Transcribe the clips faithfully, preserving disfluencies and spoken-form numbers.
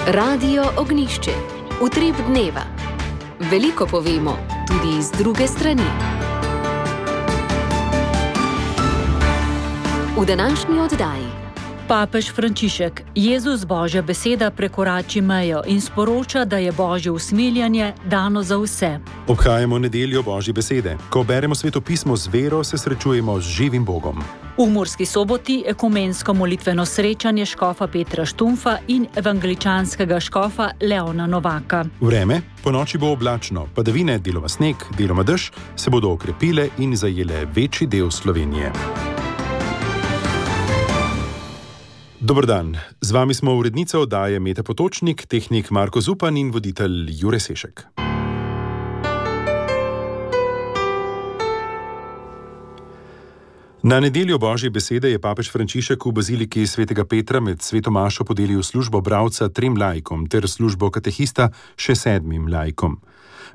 Radio Ognjišče. Utrip dneva. Veliko povemo, tudi iz druge strani. V današnji oddaji. Papež Frančišek, Jezus Božja beseda prekorači mejo in sporoča, da je Božje usmiljanje dano za vse. Obhajamo nedeljo Božje besede. Ko beremo Sveto pismo z vero, se srečujemo z živim Bogom. V Murski Soboti ekumensko molitveno srečanje škofa Petra Štumfa in evangeličanskega škofa Leona Novaka. Vreme, po noči bo oblačno, padavine, deloma sneg, deloma dež, se bodo okrepile in zajele večji del Slovenije. Dober dan, z vami smo urednica oddaje Meta Potočnik, tehnik Marko Zupan in voditelj Jure Sešek. Na nedeljo Božje besede je papež Frančišek v baziliki svetega Petra med sveto mašo podelil službo bralca trem laikom ter službo katehista še sedmim laikom.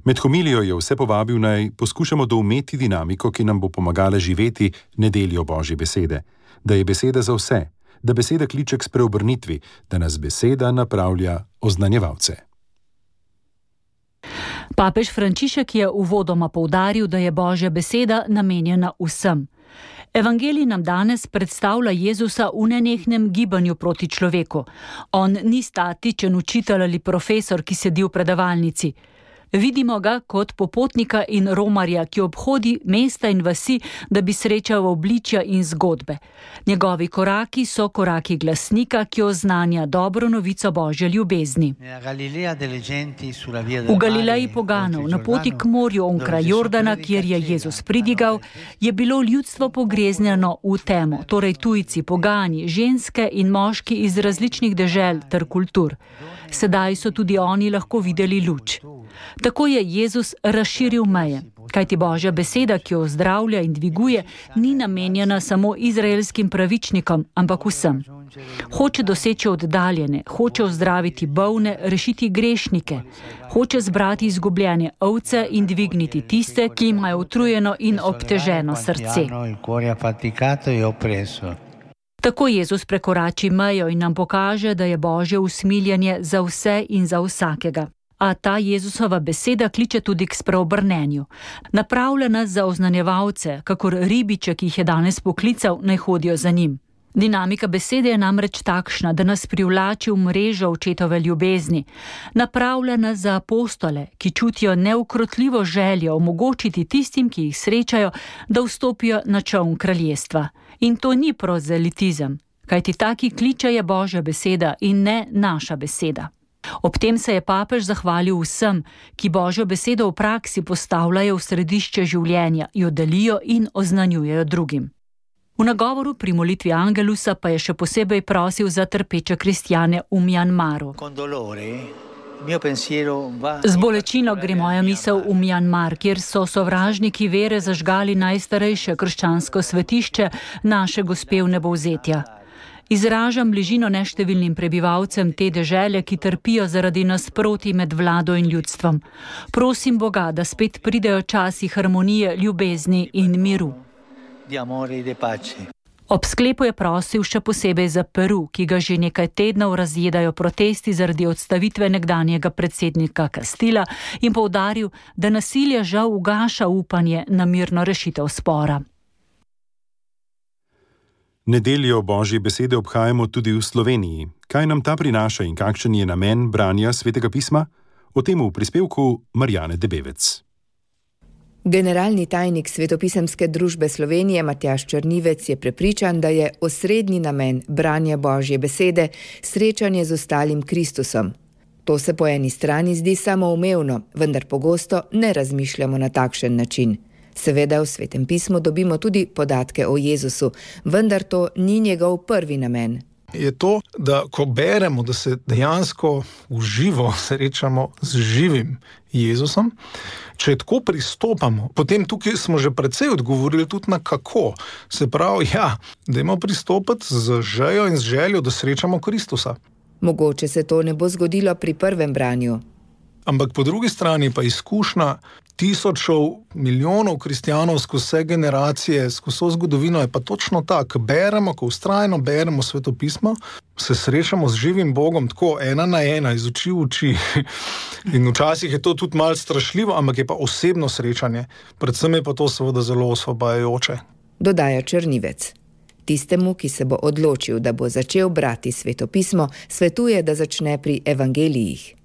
Med homilijo je vse povabil, naj poskušamo doumeti dinamiko, ki nam bo pomagala živeti nedeljo Božje besede. Da je beseda za vse, da beseda kliče k spreobrnitvi, da nas beseda napravlja oznanjevalce. Papež Frančišek je uvodoma poudaril, da je Božja beseda namenjena vsem. Evangelij nam danes predstavlja Jezusa v nenehnem gibanju proti človeku. On ni statičen učitelj ali profesor, ki sedi v predavalnici. Vidimo ga kot popotnika in romarja, ki obhodi mesta in vasi, da bi srečal obličja in zgodbe. Njegovi koraki so koraki glasnika, ki oznanja dobro novico Božje ljubezni. V Galileji poganov, na poti k morju onkraj Jordana, kjer je Jezus pridigal, je bilo ljudstvo pogreznjeno v temo, torej tujci, pogani, ženske in moški iz različnih dežel ter kultur. Sedaj so tudi oni lahko videli luč. Tako je Jezus razširil meje, kajti Božja beseda, ki jo ozdravlja in dviguje, ni namenjena samo izraelskim pravičnikom, ampak vsem. Hoče doseči oddaljene, hoče ozdraviti bolne, rešiti grešnike, hoče zbrati izgubljene ovce in dvigniti tiste, ki imajo utrujeno in obteženo srce. Tako Jezus prekorači mejo in nam pokaže, da je Božje usmiljanje za vse in za vsakega. A ta Jezusova beseda kliče tudi k spreobrnenju. Napravlja nas za oznanjevalce, kakor ribiče, ki jih je danes poklical, naj hodijo za njim. Dinamika besede je namreč takšna, da nas privlači v mrežo očetove ljubezni. Napravlja nas za apostole, ki čutijo neukrotljivo željo omogočiti tistim, ki jih srečajo, da vstopijo na čoln kraljestva. In to ni prozelitizem, kajti taki kliče je Božja beseda in ne naša beseda. Ob tem se je papež zahvalil vsem, ki Božjo besedo v praksi postavljajo v središče življenja, jo delijo in oznanjujejo drugim. V nagovoru pri molitvi Angelusa pa je še posebej prosil za trpeče kristjane v Mjanmaru. Z bolečino gre moja misel v Mjanmar, kjer so sovražniki vere zažgali najstarejše krščansko svetišče naše Gospe vnebovzetja. Izražam bližino neštevilnim prebivalcem te dežele, ki trpijo zaradi nasprotij med vlado in ljudstvom. Prosim Boga, da spet pridejo časi harmonije, ljubezni in miru. Ob sklepu je prosil še posebej za Peru, ki ga že nekaj tednov razjedajo protesti zaradi odstavitve nekdanjega predsednika Castilla, in poudaril, da nasilje žal ugaša upanje na mirno rešitev spora. Nedeljo Božje besede obhajamo tudi v Sloveniji. Kaj nam ta prinaša in kakšen je namen branja Svetega pisma? O tem v prispevku Marjane Debevec. Generalni tajnik Svetopisemske družbe Slovenije Matjaž Črnivec je prepričan, da je osrednji namen branja Božje besede srečanje z ostalim Kristusom. To se po eni strani zdi samoumevno, vendar pogosto ne razmišljamo na takšen način. Seveda v Svetem pismu dobimo tudi podatke o Jezusu, vendar to ni njegov prvi namen. Je to, da ko beremo, da se dejansko v živo srečamo z živim Jezusom, če tako pristopamo, potem tukaj smo že precej odgovorili tudi na kako. Se pravi, ja, dajmo pristopiti z željo in z željo, da srečamo Kristusa. Mogoče se to ne bo zgodilo pri prvem branju. Ampak po drugi strani pa izkušnja tisočev, milijonov kristjanov skozi vse generacije, skozi vso zgodovino je pa točno tako. Beremo, ko vztrajno beremo svetopismo, se srečamo z živim Bogom tako ena na ena, iz oči v oči. In včasih je to tudi malo strašljivo, ampak je pa osebno srečanje. Predvsem je pa to seveda zelo osvobajajoče. Dodaja Črnivec. Tistemu, ki se bo odločil, da bo začel brati svetopismo, svetuje, da začne pri evangelijih.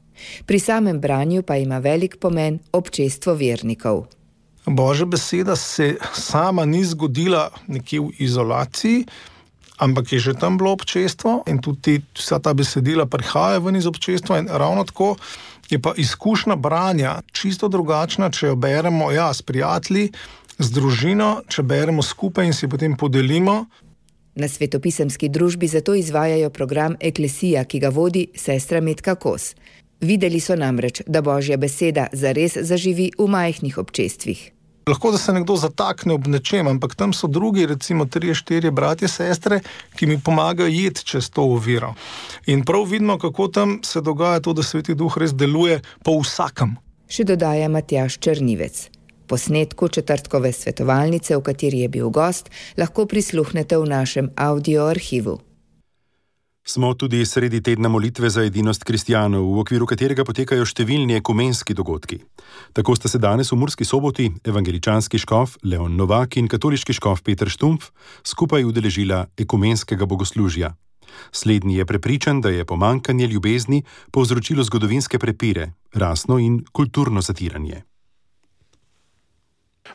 Pri samem branju pa ima velik pomen občestvo vernikov. Božja beseda se sama ni zgodila nekje v izolaciji, ampak je že tam bilo občestvo in tudi vsa ta besedila prihaja ven iz občestva in ravno tako je pa izkušnja branja čisto drugačna, če jo beremo ja, s prijatelji, z družino, če beremo skupaj in si potem podelimo. Na svetopisemski družbi zato izvajajo program Eklesija, ki ga vodi sestra Metka Kos. Videli so namreč, da Božja beseda zares zaživi v majhnih občestvih. Lahko, da se nekdo zatakne ob nečem, ampak tam so drugi, recimo trije, štirje bratje, sestre, ki mi pomagajo jeti čez to oviro. In prav vidimo, kako tam se dogaja to, da Sveti Duh res deluje po vsakem. Še dodaja Matjaž Črnivec. Posnetku četrtkove svetovalnice, v kateri je bil gost, lahko prisluhnete v našem audio arhivu. Smo tudi sredi tedna molitve za edinost kristjanov, v okviru katerega potekajo številni ekumenski dogodki. Tako sta se danes v Murski Soboti evangeličanski škof Leon Novak in katoliški škof Peter Štumpf skupaj udeležila ekumenskega bogoslužja. Slednji je prepričan, da je pomanjkanje ljubezni povzročilo zgodovinske prepire, rasno in kulturno zatiranje.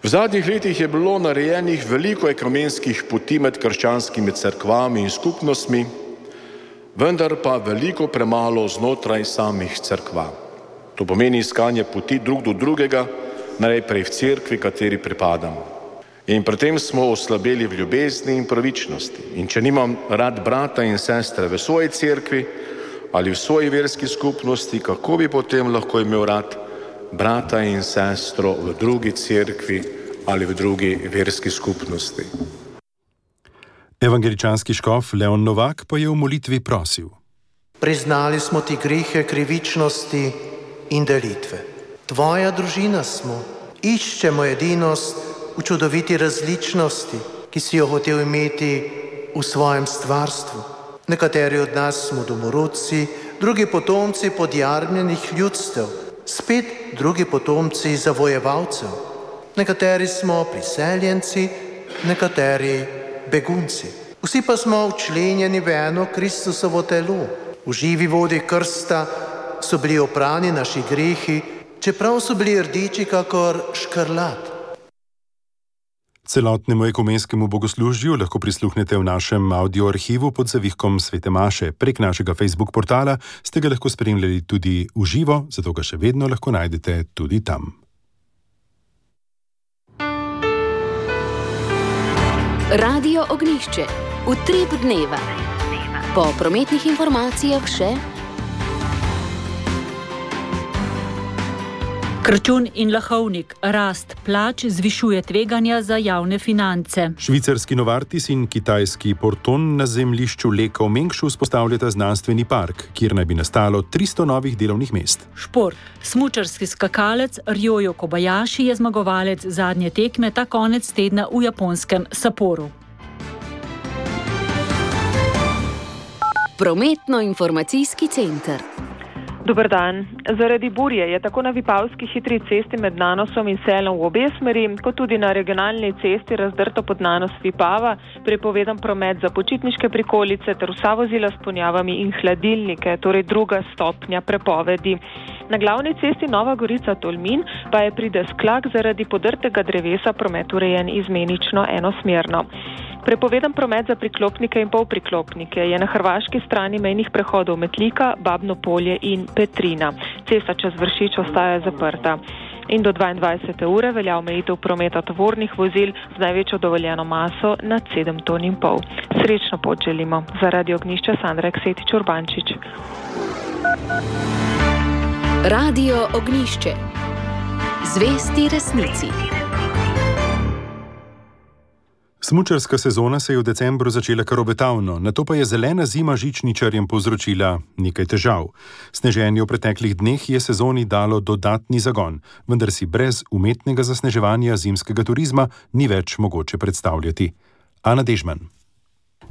V zadnjih letih je bilo narejenih veliko ekumenskih poti med krščanskimi cerkvami in skupnostmi, vendar pa veliko premalo znotraj samih cerkva. To pomeni iskanje poti drug do drugega, najprej v cerkvi, kateri pripadamo. In pri tem smo oslabeli v ljubezni in pravičnosti. In če nimam rad brata in sestre v svoji cerkvi ali v svoji verski skupnosti, kako bi potem lahko imel rad brata in sestro v drugi cerkvi ali v drugi verski skupnosti? Evangeličanski škof Leon Novak pa je v molitvi prosil. Priznali smo ti grehe krivičnosti in delitve. Tvoja družina smo. Iščemo edinost v čudoviti različnosti, ki si jo hotel imeti v svojem stvarstvu. Nekateri od nas smo domorodci, drugi potomci podjarmljenih ljudstev, spet drugi potomci zavojevalcev. Nekateri smo priseljenci, nekateri begunci. Vsi pa smo včlenjeni v eno Kristusovo telo. V živi vodi krsta so bili oprani naši grehi, čeprav so bili rdeči kakor škrlat. Celotnemu ekumenskemu bogoslužju lahko prisluhnete v našem audio arhivu pod zavihkom Svete Maše. Prek našega Facebook portala ste ga lahko spremljali tudi v živo, zato ga še vedno lahko najdete tudi tam. Radio Ognjišče. Utrip dneva. Po prometnih informacijah še Krčun in Lahovnik. Rast plač zvišuje tveganja za javne finance. Švicarski Novartis in kitajski Porton na zemljišču Leka v Mengšu vzpostavljata znanstveni park, kjer naj bi nastalo tristo novih delovnih mest. Šport. Smučarski skakalec Ryoyo Kobayashi je zmagovalec zadnje tekme ta konec tedna v japonskem Sapporu. Prometno-informacijski center. Dober dan. Zaradi burje je tako na Vipavski hitri cesti med Nanosom in Selom v obe smeri, kot tudi na regionalni cesti razdrto pod Nanos Vipava, prepovedan promet za počitniške prikolice ter vsa vozila s ponjavami in hladilnike, torej druga stopnja prepovedi. Na glavni cesti Nova Gorica Tolmin pa je pri Desklak zaradi podrtega drevesa promet urejen izmenično enosmerno. Prepovedan promet za priklopnike in polpriklopnike je na hrvaški strani mejnih prehodov Metlika, Babno Polje in Petrina. Cesta čez Vršič ostaja zaprta. In do dvaindvajsete ure velja omejitev prometa tovornih vozil z največjo dovoljeno maso nad sedem ton in pol. Srečno pot želimo. Za Radio Ognjišče Sandra Eksetič Urbančič. Radio Ognjišče. Zvesti resnici. Smučarska sezona se je v decembru začela kar obetavno, nato pa je zelena zima žičničarjem povzročila nekaj težav. Sneženje v preteklih dneh je sezoni dalo dodatni zagon, vendar si brez umetnega zasneževanja zimskega turizma ni več mogoče predstavljati. Ana Dežman.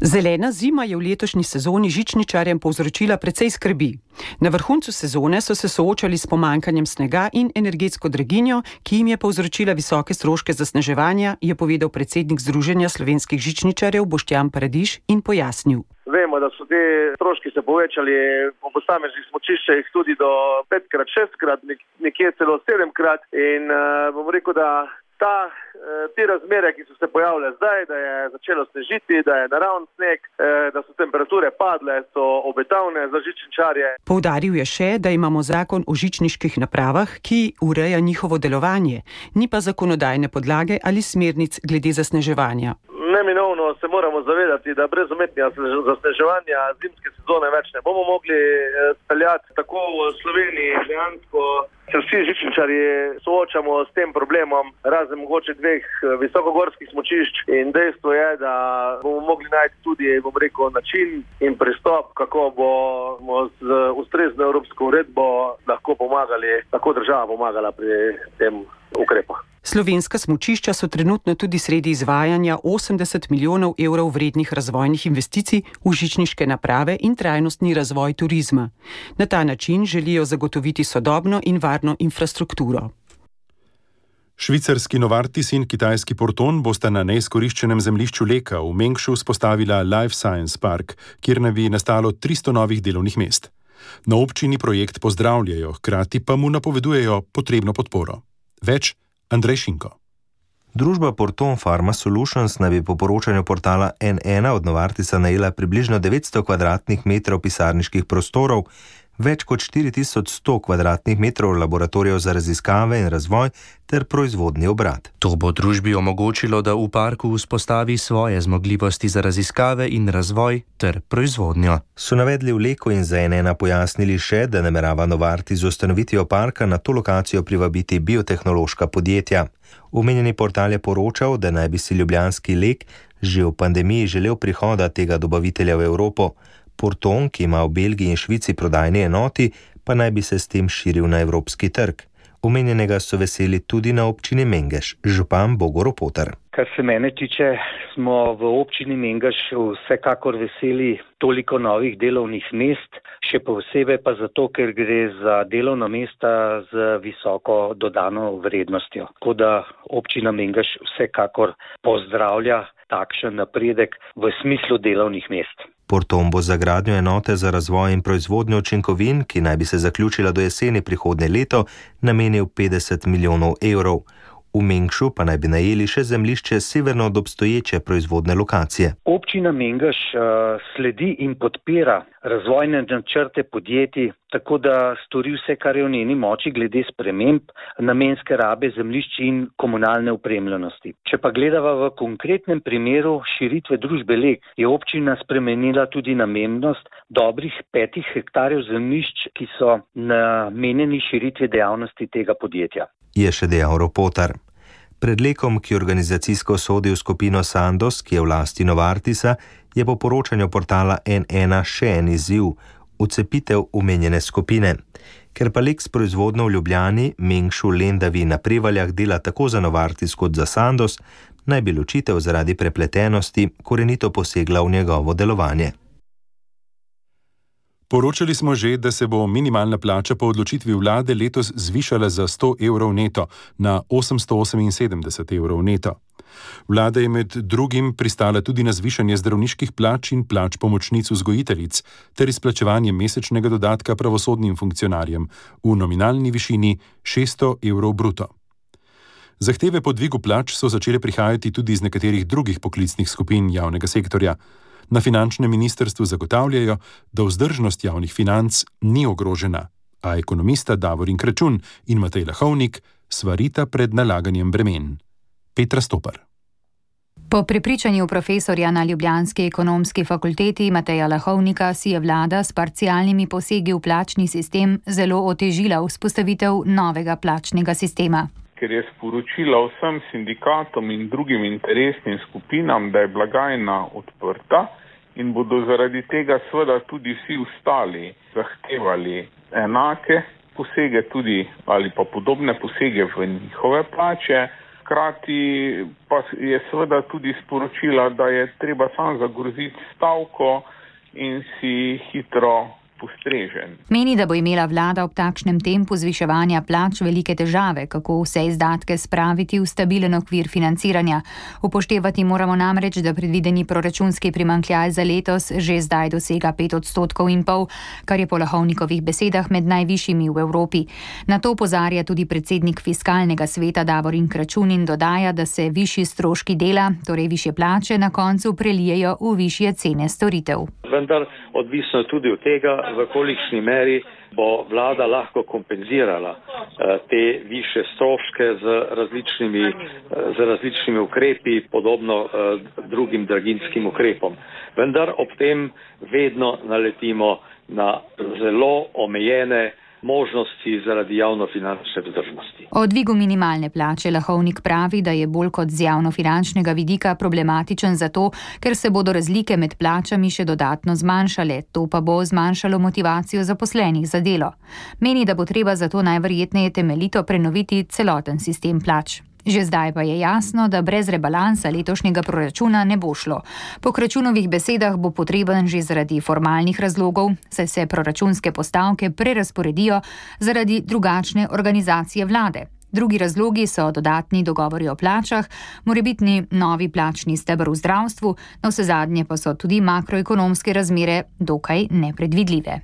Zelena zima je v letošnji sezoni žičničarjem povzročila precej skrbi. Na vrhuncu sezone so se soočali s pomanjkanjem snega in energetsko draginjo, ki jim je povzročila visoke stroške zasneževanja, je povedal predsednik Združenja slovenskih žičničarjev Boštjan Paradiž in pojasnil. Vemo, da so te stroški se povečali po posameznih smučiščih tudi do petkrat, šestkrat, nekje celo sedemkrat in uh, bom rekel, da Ta, te razmere, ki so se pojavile zdaj, da je začelo snežiti, da je naravni sneg, da so temperature padle, so obetavne za žičničarje. Poudaril je še, da imamo zakon o žičniških napravah, ki ureja njihovo delovanje, ni pa zakonodajne podlage ali smernic glede zasneževanja. Neminovno se moramo zavedati, da brez umetnega zasneževanja zimske sezone več ne bomo mogli speljati. Tako v Sloveniji dejansko se vsi žičničarji soočamo s tem problemom, razen mogoče dveh visokogorskih smučišč in dejstvo je, da bomo mogli najti tudi, bom rekel, način in pristop, kako bomo z ustrezno evropsko uredbo lahko pomagali, lahko država pomagala pri tem ukrepu. Slovenska smučišča so trenutno tudi sredi izvajanja osemdeset milijonov evrov vrednih razvojnih investicij v žičniške naprave in trajnostni razvoj turizma. Na ta način želijo zagotoviti sodobno in varno infrastrukturo. Švicarski Novartis in kitajski Porton bosta na neizkoriščenem zemljišču Leka v Mengšu vzpostavila Life Science Park, kjer naj bi nastalo tristo novih delovnih mest. Na občini projekt pozdravljajo, hkrati pa mu napovedujejo potrebno podporo. Več Andrej Šinko. Družba Porton Pharma Solutions naj bi po poročanju portala N ena od Novartisa najela približno devetsto kvadratnih metrov pisarniških prostorov, več kot štiri tisoč sto kvadratnih metrov laboratorijev za raziskave in razvoj ter proizvodni obrat. To bo družbi omogočilo, da v parku vzpostavi svoje zmogljivosti za raziskave in razvoj ter proizvodnjo. So navedli v Leku in za N ena pojasnili še, da namerava Novartis z ustanovitvijo parka na to lokacijo privabiti biotehnološka podjetja. Omenjeni portal je poročal, da naj bi si ljubljanski Lek že v pandemiji želel prihoda tega dobavitelja v Evropo. Porton, ki ima v Belgiji in Švici prodajni enoti, pa naj bi se s tem širil na evropski trg. Omenjenega so veseli tudi na občini Mengeš, župan Bogo Ropotar. Kar se mene tiče, smo v občini Mengeš vsekakor veseli toliko novih delovnih mest, še posebej pa zato, ker gre za delovna mesta z visoko dodano vrednostjo. Tako da občina Mengeš vsekakor pozdravlja takšen napredek v smislu delovnih mest. Porton bo za gradnjo enote za razvoj in proizvodnjo učinkovin, ki naj bi se zaključila do jeseni prihodnje leto, namenil petdeset milijonov evrov. V Mengšu pa naj bi najeli še zemljišče severno od obstoječe proizvodne lokacije. Občina Mengeš uh, sledi in podpira razvojne načrte podjetij, tako da stori vse, kar je v njeni moči glede sprememb namenske rabe zemljišč in komunalne opremljenosti. Če pa gledava v konkretnem primeru širitve družbe Lek, je občina spremenila tudi namennost dobrih petih hektarjev zemljišč, ki so namenjeni širitvi dejavnosti tega podjetja. Je še dejal Ropotar. Pred Lekom, ki organizacijsko sodi v skupino Sandoz, ki je v lasti Novartisa, je po poročanju portala N ena še en izziv – vcepitev omenjene skupine. Ker pa Lek s proizvodnjo v Ljubljani, Mengšu, Lendavi in na Prevaljah dela tako za Novartis kot za Sandoz, naj bi ločitev zaradi prepletenosti korenito posegla v njegovo delovanje. Poročali smo že, da se bo minimalna plača po odločitvi vlade letos zvišala za sto evrov neto na osemsto oseminsedemdeset evrov neto. Vlada je med drugim pristala tudi na zvišanje zdravniških plač in plač pomočnic vzgojiteljic ter izplačevanje mesečnega dodatka pravosodnim funkcionarjem v nominalni višini šeststo evrov bruto. Zahteve po dvigu plač so začele prihajati tudi iz nekaterih drugih poklicnih skupin javnega sektorja. Na finančnem ministrstvu zagotavljajo, da vzdržnost javnih financ ni ogrožena, a ekonomista Davorin Kračun in Matej Lahovnik svarita pred nalaganjem bremen. Petra Stopar. Po prepričanju profesorja na ljubljanski ekonomski fakulteti Mateja Lahovnika si je vlada s parcialnimi posegi v plačni sistem zelo otežila vzpostavitev novega plačnega sistema. ker je sporočila vsem sindikatom in drugim interesnim skupinam, da je blagajna odprta in bodo zaradi tega seveda tudi vsi ostali zahtevali enake posege tudi ali pa podobne posege v njihove plače. Hkrati pa je seveda tudi sporočila, da je treba sam zagroziti stavko in si hitro postrežen. Meni, da bo imela vlada ob takšnem tempu zviševanja plač velike težave, kako vse izdatke spraviti v stabilen okvir financiranja. Upoštevati moramo namreč, da predvideni proračunski primanjkljaj za letos že zdaj dosega pet odstotkov in pol, kar je po Lahovnikovih besedah med najvišjimi v Evropi. Na to opozarja tudi predsednik fiskalnega sveta Davorin Kračun in dodaja, da se višji stroški dela, torej višje plače, na koncu prelijejo v višje cene storitev. Vendar odvisno tudi od tega, v kolikšni meri bo vlada lahko kompenzirala eh, te više stroške z različnimi, eh, z različnimi ukrepi, podobno eh, drugim draginjskim ukrepom. Vendar ob tem vedno naletimo na zelo omejene možnosti zaradi javnofinančne vzdržnosti. O dvigu minimalne plače Lahovnik pravi, da je bolj kot z javnofinančnega vidika problematičen zato, ker se bodo razlike med plačami še dodatno zmanjšale, to pa bo zmanjšalo motivacijo zaposlenih za delo. Meni, da bo treba zato najverjetneje temeljito prenoviti celoten sistem plač. Že zdaj pa je jasno, da brez rebalansa letošnjega proračuna ne bo šlo. Po Kračunovih besedah bo potreben že zaradi formalnih razlogov, saj se proračunske postavke prerazporedijo zaradi drugačne organizacije vlade. Drugi razlogi so dodatni dogovori o plačah, morebitni novi plačni steber v zdravstvu, navsezadnje pa so tudi makroekonomske razmere dokaj nepredvidljive.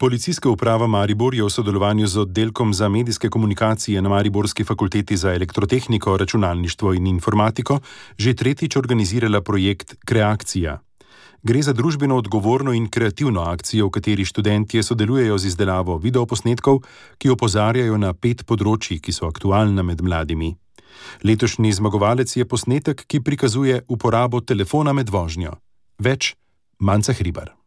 Policijska uprava Maribor je v sodelovanju z oddelkom za medijske komunikacije na Mariborski fakulteti za elektrotehniko, računalništvo in informatiko že tretjič organizirala projekt Kreakcija. Gre za družbeno odgovorno in kreativno akcijo, v kateri študentje sodelujejo z izdelavo videoposnetkov, ki opozarjajo na pet področji, ki so aktualna med mladimi. Letošnji zmagovalec je posnetek, ki prikazuje uporabo telefona med vožnjo. Več Manca Hribar.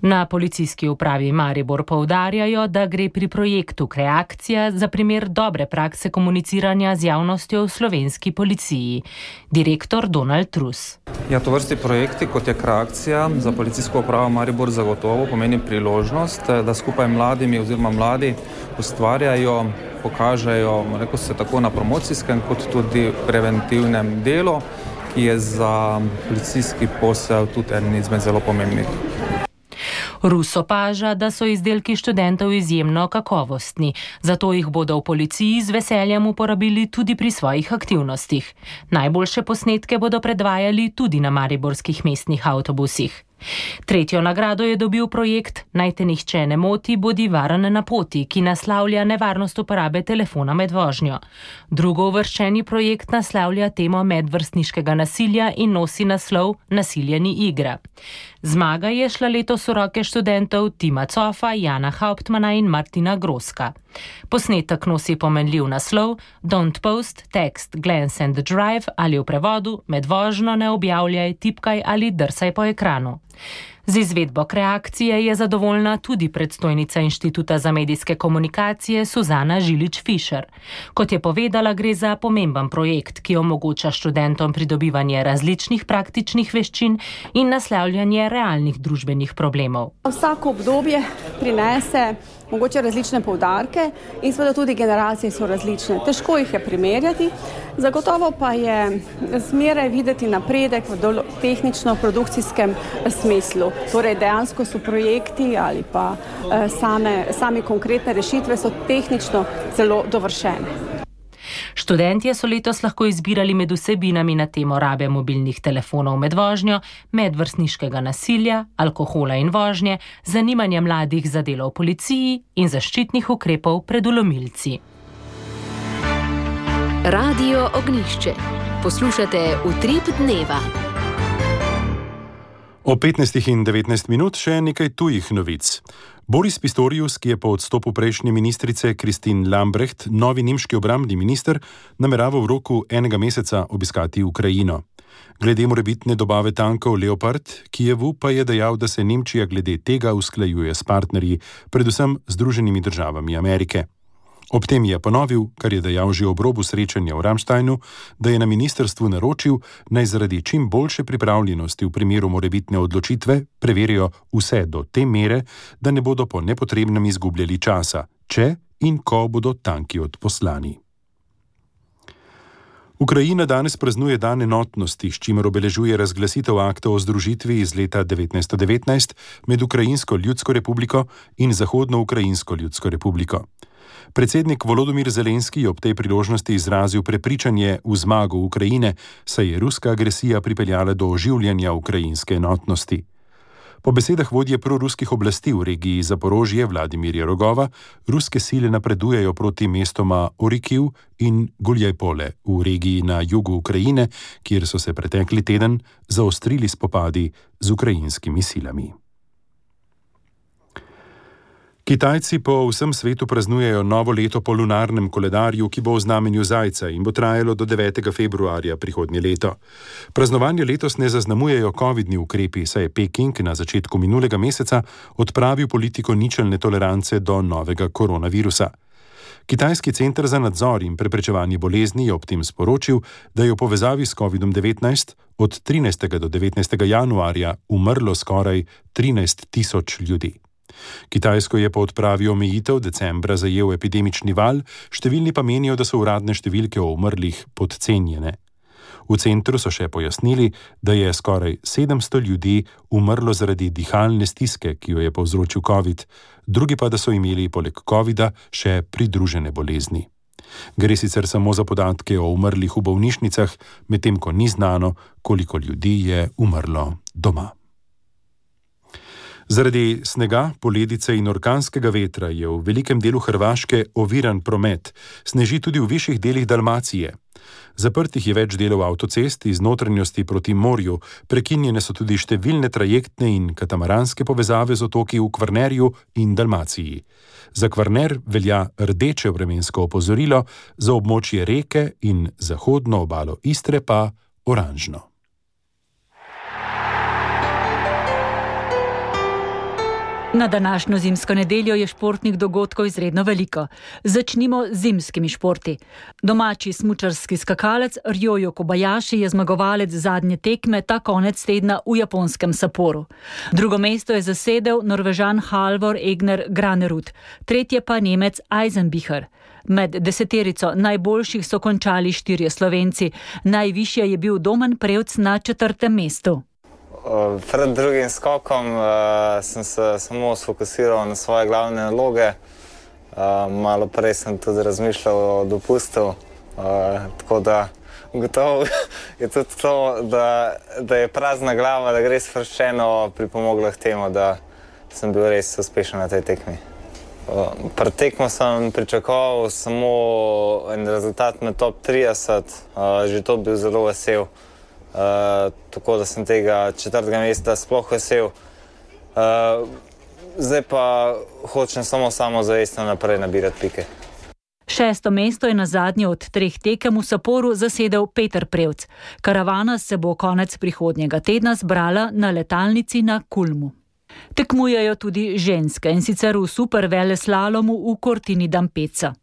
Na policijski upravi Maribor poudarjajo, da gre pri projektu Kreakcija za primer dobre prakse komuniciranja z javnostjo v slovenski policiji. Direktor Donald Trus. Ja, to vrsti projekti, kot je Kreakcija, za policijsko upravo Maribor zagotovo pomeni priložnost, da skupaj mladimi oziroma mladi ustvarjajo, pokažejo, rekel se tako na promocijskem kot tudi preventivnem delu, ki je za policijski posel tudi en izmed zelo pomembnih. Rus opaža, da so izdelki študentov izjemno kakovostni, zato jih bodo v policiji z veseljem uporabili tudi pri svojih aktivnostih. Najboljše posnetke bodo predvajali tudi na mariborskih mestnih avtobusih. Tretjo nagrado je dobil projekt Naj te nihče ne moti, bodi varen na poti, ki naslavlja nevarnost uporabe telefona med vožnjo. Drugo uvrščeni projekt naslavlja temo medvrstniškega nasilja in nosi naslov Nasilje ni igra. Zmaga je šla letos v roke študentov Tima Cofa, Jana Hauptmana in Martina Groska. Posnetek nosi pomenljiv naslov Don't post, text, glance and drive ali v prevodu Med vožnjo ne objavljaj, tipkaj ali drsaj po ekranu. Z izvedbo Kreakcije je zadovoljna tudi predstojnica Inštituta za medijske komunikacije Suzana Žilič-Fišer. Kot je povedala, gre za pomemben projekt, ki omogoča študentom pridobivanje različnih praktičnih veščin in naslavljanje realnih družbenih problemov. Vsako obdobje prinese mogoče različne poudarke in seveda tudi generacije so različne. Težko jih je primerjati, zagotovo pa je zmeraj videti napredek v tehnično-produkcijskem smislu. Torej dejansko so projekti ali pa eh, same, same konkretne rešitve so tehnično zelo dovršene. Študentje so letos lahko izbirali med vsebinami na temo rabe mobilnih telefonov med vožnjo, medvrstniškega nasilja, alkohola in vožnje, zanimanja mladih za delo v policiji in zaščitnih ukrepov pred vlomilci. Radio Ognjišče. Poslušate Utrip dneva. O petnajstih in devetnajst minut še nekaj tujih novic. Boris Pistorius, ki je po odstopu prejšnje ministrice Christine Lambrecht novi nemški obrambni minister, namerava v roku enega meseca obiskati Ukrajino. Glede morebitne dobave tankov Leopard, Kijevu pa je dejal, da se Nemčija glede tega usklajuje s partnerji, predvsem Združenimi državami Amerike. Ob tem je ponovil, kar je dejal že ob robu srečanja v Ramsteinu, da je na ministrstvu naročil, naj zaradi čim boljše pripravljenosti v primeru morebitne odločitve preverijo vse do te mere, da ne bodo po nepotrebnem izgubljali časa, če in ko bodo tanki odposlani. Ukrajina danes praznuje dan enotnosti, s čimer obeležuje razglasitev akta o združitvi iz leta devetnajststo devetnajst med Ukrajinsko ljudsko republiko in Zahodno Ukrajinsko ljudsko republiko. Predsednik Volodymyr Zelenski je ob tej priložnosti izrazil prepričanje v zmago Ukrajine, saj je ruska agresija pripeljala do oživljanja ukrajinske enotnosti. Po besedah vodje proruskih oblasti v regiji Zaporožje Vladimirja Rogova, ruske sile napredujejo proti mestoma Orikiv in Guljajpole v regiji na jugu Ukrajine, kjer so se pretekli teden zaostrili spopadi z ukrajinskimi silami. Kitajci po vsem svetu praznujejo novo leto po lunarnem koledarju, ki bo v znamenju zajca in bo trajalo do devetega februarja prihodnje leto. Praznovanje letos ne zaznamujejo covidni ukrepi, saj je Peking na začetku minulega meseca odpravil politiko ničelne tolerance do novega koronavirusa. Kitajski center za nadzor in preprečevanje bolezni je ob tem sporočil, da je v povezavi s covidom devetnajst od trinajstega do devetnajstega januarja umrlo skoraj trinajst tisoč ljudi. Kitajsko je po odpravi omejitev decembra zajel epidemični val, številni pa menijo, da so uradne številke o umrlih podcenjene. V centru so še pojasnili, da je skoraj sedemsto ljudi umrlo zaradi dihalne stiske, ki jo je povzročil COVID, drugi pa, da so imeli poleg covida še pridružene bolezni. Gre sicer samo za podatke o umrlih v bolnišnicah, medtem ko ni znano, koliko ljudi je umrlo doma. Zaradi snega, poledice in orkanskega vetra je v velikem delu Hrvaške oviran promet, sneži tudi v višjih delih Dalmacije. Zaprtih je več delov avtocest iz notranjosti proti morju, prekinjene so tudi številne trajektne in katamaranske povezave z otoki v Kvarnerju in Dalmaciji. Za Kvarner velja rdeče vremensko opozorilo, za območje Reke in zahodno obalo Istre pa oranžno. Na današnjo zimsko nedeljo je športnih dogodkov izredno veliko. Začnimo z zimskimi športi. Domači smučarski skakalec Ryoyo Kobayashi je zmagovalec zadnje tekme ta konec tedna v japonskem Sapporu. Drugo mesto je zasedel Norvežan Halvor Egner Granerud, tretje pa Nemec Eisenbichler. Med deseterico najboljših so končali štirje Slovenci, najvišje je bil Domen Prevc na četrtem mestu. Pred drugim skokom uh, sem se samo sfokusiral na svoje glavne naloge. Uh, malo prej sem tudi razmišljal o dopustu, uh, tako da gotovo je tudi to, da, da je prazna glava, da gre sproščeno pripomoglo k temu, da sem bil res uspešen na tej tekmi. Uh, pred tekmo sem pričakoval samo en rezultat med top trideset, uh, že to bil zelo vesel. Uh, tako da sem tega četrtega mesta sploh vesel. Uh, zdaj pa hočem samo samozavestno naprej nabirati pike. Šesto mesto je na zadnje od treh tekem v Sapporu zasedel Peter Prevc. Karavana se bo konec prihodnjega tedna zbrala na letalnici na Kulmu. Tekmujejo tudi ženske, in sicer v superveleslalomu v Cortini d'Ampezza.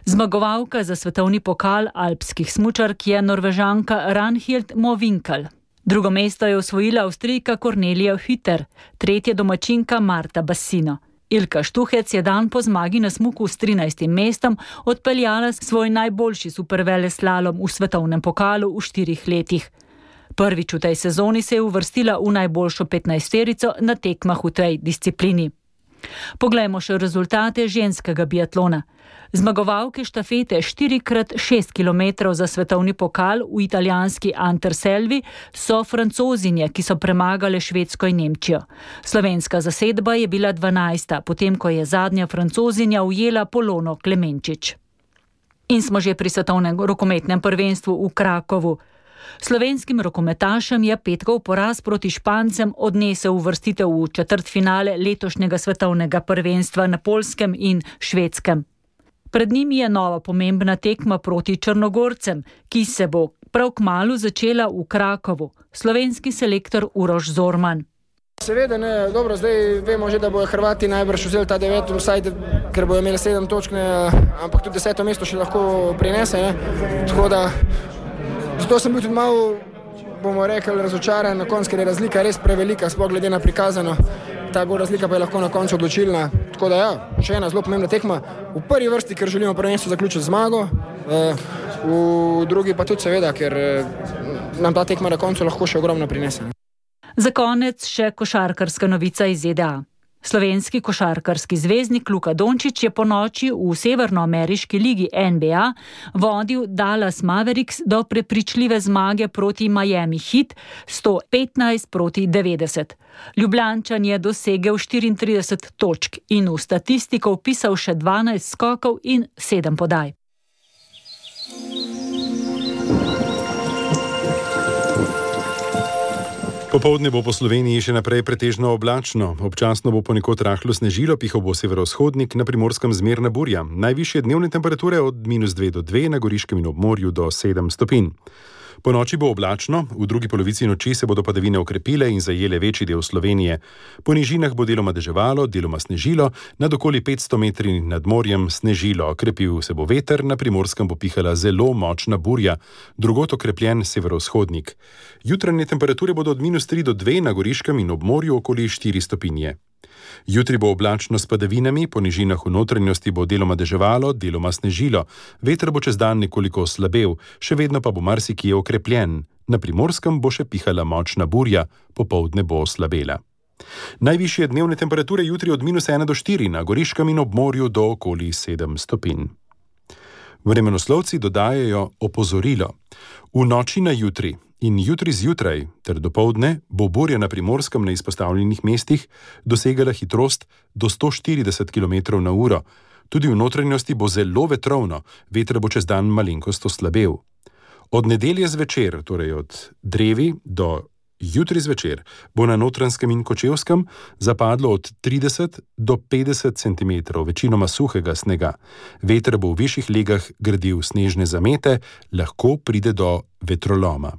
Zmagovalka za svetovni pokal alpskih smučark je Norvežanka Ragnhild Mowinckel. Drugo mesto je osvojila Avstrijka Cornelia Hütter, tretje domačinka Marta Bassino. Ilka Štuhec je dan po zmagi na smuku s trinajstim mestom odpeljala svoj najboljši superveleslalom v svetovnem pokalu v štirih letih. Prvič v tej sezoni se je uvrstila v najboljšo petnajsterico na tekmah v tej disciplini. Poglejmo še rezultate ženskega biatlona. Zmagovalke štafete štiri krat šest kilometrov za svetovni pokal v italijanski Anterselvi so Francozinje, ki so premagale Švedsko in Nemčijo. Slovenska zasedba je bila dvanajsta, potem ko je zadnja Francozinja ujela Polono Klemenčič. In smo že pri svetovnem rokometnem prvenstvu v Krakovu. Slovenskim rokometašem je petkov poraz proti Špancem odnesel uvrstitev v četrtfinale letošnjega svetovnega prvenstva na Poljskem in Švedskem. Pred njimi je nova pomembna tekma proti Črnogorcem, ki se bo prav kmalu začela v Krakovu. Slovenski selektor Uroš Zorman. Seveda ne, dobro, zdaj vemo že, da bojo Hrvati najbrž vzeli ta devet, vsaj, ker bojo imeli sedem točk, ne, ampak tudi deseto mesto še lahko prinese. Ne. Tako da, zato sem bil tudi malo, bomo rekli, razočaran na koncu, ker je razlika res prevelika, sploh glede na prikazano. Ta gol razlika pa je lahko na koncu odločilna. Tako da ja, še ena zelo pomembna tekma. V prvi vrsti, ker želimo prvenstvo zaključiti zmago, v drugi pa tudi seveda, ker nam ta tekma na koncu lahko še ogromno prinese. Za konec še košarkarska novica iz Z D A. Slovenski košarkarski zvezdnik Luka Dončić je po noči v severnoameriški ligi N B A vodil Dallas Mavericks do prepričljive zmage proti Miami Heat sto petnajst proti devetdeset. Ljubljančan je dosegel štiriintrideset točk in v statistiko vpisal še dvanajst skokov in sedem podaj. Popoldne bo po Sloveniji še naprej pretežno oblačno. Občasno bo ponekod rahlo snežilo, pihal bo severovzhodnik, na Primorskem zmerna burja. Najvišje dnevne temperature od minus dve do dve, na Goriškem in obmorju do sedem stopinj. Po noči bo oblačno, v drugi polovici noči se bodo padavine okrepile in zajele večji del Slovenije. Po nižinah bo deloma deževalo, deloma snežilo, nad okoli petsto metri nad morjem snežilo. Krepil se bo veter, na Primorskem bo pihala zelo močna burja, drugot okrepljen severovzhodnik. Jutranje temperature bodo od minus tri do dve, na Goriškem in obmorju okoli štiri stopinje. Jutri bo oblačno s padavinami, po nižinah v notranjosti bo deloma deževalo, deloma snežilo. Veter bo čez dan nekoliko oslabel, še vedno pa bo marsikje okrepljen. Na Primorskem bo še pihala močna burja, popoldne bo oslabela. Najvišje dnevne temperature jutri od minus ena do štiri, na Goriškem in obmorju do okoli sedem stopinj. Vremenoslovci dodajajo opozorilo. V noči na jutri in jutri zjutraj ter dopoldne bo burja na Primorskem na izpostavljenih mestih dosegala hitrost do sto štirideset kilometrov na uro. Tudi v notranjosti bo zelo vetrovno, veter bo čez dan malenkost oslabel. Od nedelje zvečer, torej od drevi do jutri zvečer, bo na Notranjskem in Kočevskem zapadlo od trideset do petdeset centimetrov večinoma suhega snega. Veter bo v višjih legah gradil snežne zamete, lahko pride do vetroloma.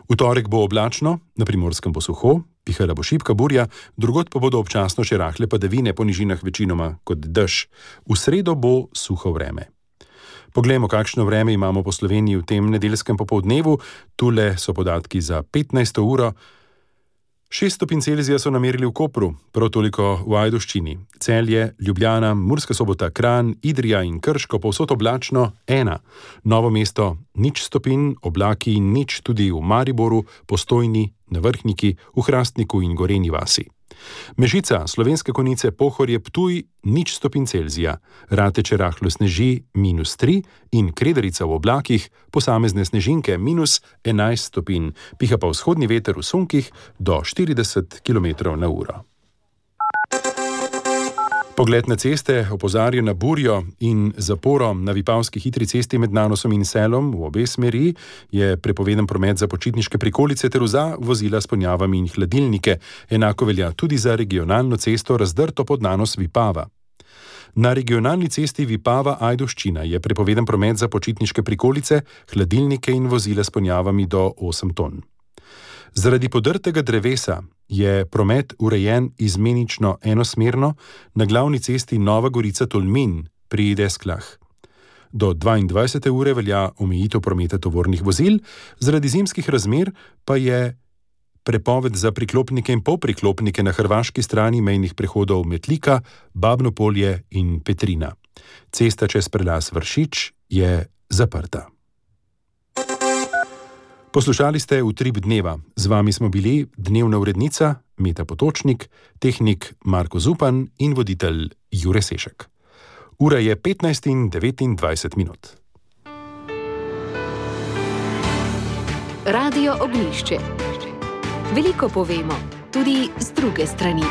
V torek bo oblačno, na Primorskem bo suho, pihala bo šibka burja, drugod pa bodo občasno še rahle padavine, po nižinah večinoma kot dež. V sredo bo suho vreme. Poglejmo, kakšno vreme imamo po Sloveniji v tem nedeljskem popoldnevu. Tule so podatki za petnajsto uro. šest stopinj Celzija so namerili v Kopru, prav toliko v Ajdovščini. Celje, Ljubljana, Murska Sobota, Kranj, Idrija in Krško, povsod oblačno ena. Novo mesto nič stopinj, oblaki nič tudi v Mariboru, Postojni, na Vrhniki, v Hrastniku in Gorenji vasi. Mežica, Slovenske Konjice, Pohorje, Ptuj, nič stopinj Celzija. Rateče rahlo sneži, minus tri in Kredarica v oblakih, posamezne snežinke, minus enajst stopinj. Piha pa vzhodni veter v sunkih do štirideset kilometrov na uro. Pogled na ceste opozarja na burjo in zaporo na Vipavski hitri cesti med Nanosom in Selom v obe smeri. Je prepovedan promet za počitniške prikolice ter za vozila s ponjavami in hladilnike. Enako velja tudi za regionalno cesto Razdrto pod Nanos Vipava. Na regionalni cesti Vipava-Ajdovščina je prepovedan promet za počitniške prikolice, hladilnike in vozila s ponjavami do osem ton. Zaradi podrtega drevesa je promet urejen izmenično enosmerno na glavni cesti Nova Gorica-Tolmin pri Desklah. Do dvaindvajsete ure velja omejitev prometa tovornih vozil, zaradi zimskih razmer pa je prepoved za priklopnike in polpriklopnike na hrvaški strani mejnih prehodov Metlika, Babno Polje in Petrina. Cesta čez prelaz Vršič je zaprta. Poslušali ste Utrip dneva. Z vami smo bili dnevna urednica Meta Potočnik, tehnik Marko Zupan in voditelj Jure Sešek. Ura je petnajst in devetindvajset minut. Radio Ognjišče. Veliko povemo, tudi z druge strani.